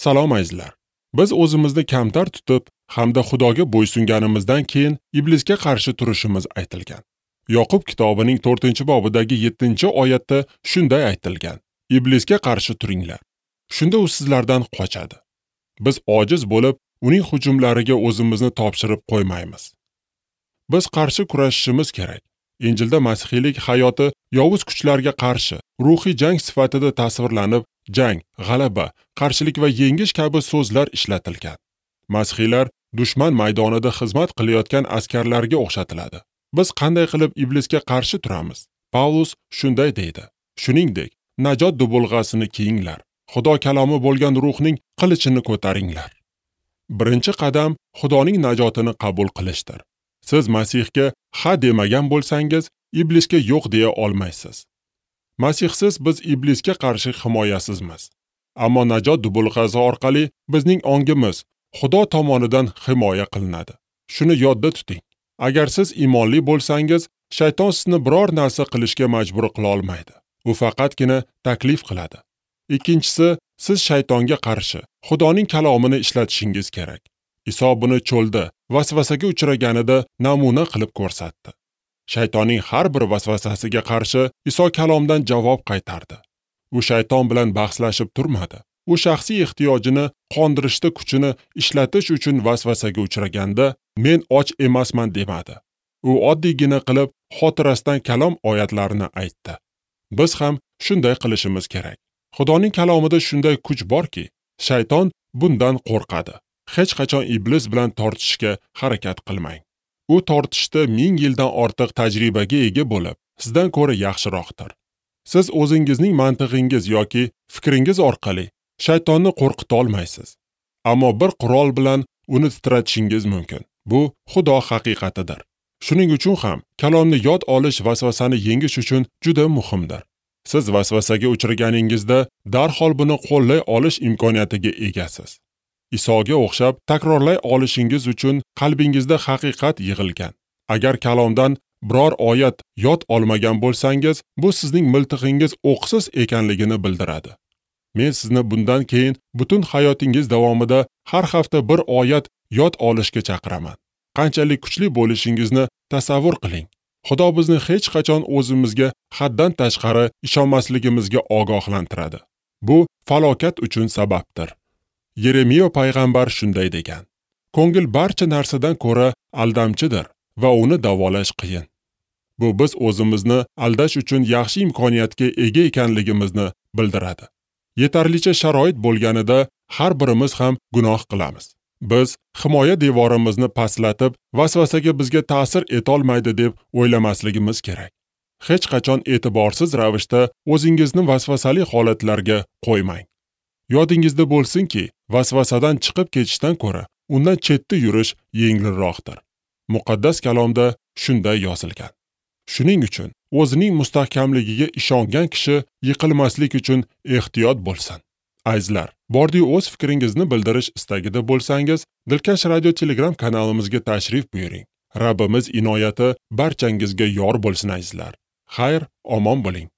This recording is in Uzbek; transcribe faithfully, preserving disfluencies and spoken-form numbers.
Salom azizlar. Biz o'zimizni kamtar tutib hamda Xudoga bo'ysunganimizdan keyin iblisga qarshi turishimiz aytilgan. Yoqub kitobining to'rtinchi bobidagi yettinchi oyatda shunday aytilgan: Iblisga qarshi turinglar. Shunda u sizlardan qochadi. Biz ojiz bo'lib, uning hujumlariga o'zimizni topshirib qo'ymaymiz. Biz qarshi kurashishimiz kerak. Injilda masihiylik hayoti yovuz kuchlarga qarshi ruhiy jang sifatida tasvirlanib, jang, g'alaba, qarshilik va yengish kabi so'zlar ishlatilgan. Masihiylar dushman maydonida xizmat qilayotgan askarlarga o'xshatiladi. Biz qanday qilib iblisga qarshi turamiz? Pavlus shunday deydi: Shuningdek, najot dubulg'asini kiyinglar. Xudo kalomi bo'lgan ruhning qilichini ko'taringlar. Birinchi qadam Xudoning najotini qabul qilishdir. Siz Masihga ha demagan bo'lsangiz, iblisga yo'q deya olmaysiz. Masihsiz biz iblisga qarshi himoyasizmiz. Ammo najot dubulg'asi orqali bizning ongimiz Xudo tomonidan himoya qilinadi. Shuni yodda tuting. Agar siz iymonli bo'lsangiz, shayton sizni biror narsa qilishga majbur qila olmaydi. U faqatgina taklif qiladi. Ikkinchisi, siz shaytonga qarshi Xudoning kalomini ishlatishingiz kerak. Iso buni cho'lda vasvasaga uchraganida namuna qilib ko'rsatdi. Shaytonning har bir vasvasasiga qarshi Iso kalomdan javob qaytardi. U shayton bilan bahslashib turmadi. U shaxsiy ehtiyojini qondirishda kuchini ishlatish uchun vasvasaga uchraganda men och emasman demadi. U oddiygina qilib xotirasidan kalom oyatlarini aytdi. Biz ham shunday qilishimiz kerak. Xudoning kalomida shunday kuch borki, shayton bundan qo'rqadi. Hech qachon iblis bilan tortishishga harakat qilmang. U tortishda ming yildan ortiq tajribaga ega bo'lib, sizdan ko'ra yaxshiroqdir. Siz o'zingizning mantig'ingiz yoki fikringiz orqali shaytonni qo'rqita olmaysiz. Ammo bir qurol bilan uni titratishingiz mumkin. Bu Xudo haqiqatidir. Shuning uchun ham kalomni yod olish vasvasani yengish uchun juda muhimdir. Siz vasvasaga uchraganingizda darhol buni qo'llay olish imkoniyatiga egasiz. Isoga o'xshab takrorlay olishingiz uchun qalbingizda haqiqat yig'ilgan. Agar kalomdan biror oyat yod olmagan bo'lsangiz, bu sizning miltig'ingiz o'qsiz ekanligini bildiradi. Men sizni bundan keyin butun hayotingiz davomida har hafta bir oyat yod olishga chaqiraman. Qanchalik kuchli bo'lishingizni tasavvur qiling. Xudo bizni hech qachon o'zimizga haddan tashqari ishonmasligimizga ogohlantiradi. Bu falokat uchun sababdir. Yeremiya payg'ambar shunday degan: Ko'ngil barcha narsadan ko'ra aldamchidir va uni davolash qiyin. Bu biz o'zimizni aldash uchun yaxshi imkoniyatga ega ekanligimizni bildiradi. Yetarlicha sharoit bo'lganida har birimiz ham gunoh qilamiz. Biz himoya devorimizni pastlatib, vasvasaga bizga ta'sir etolmaydi deb o'ylamasligimiz kerak. Hech qachon e'tiborsiz ravishda o'zingizni vasvasali holatlarga qo'ymang. Yodingizda bo'lsinki, vasvasadan chiqib ketishdan ko'ra undan chetda yurish yengilroqdir. Muqaddas kalomda shunday yozilgan. Shuning uchun o'zining mustahkamligiga ishongan kishi yiqilmaslik uchun ehtiyot bo'lsin. Azizlar, bordi-yu o'z fikringizni bildirish istagida bo'lsangiz, Dilkash Radio Telegram kanalimizga tashrif buyuring. Rabbimiz inoyati barchangizga yor bo'lsin azizlar. Xayr, omon bo'ling.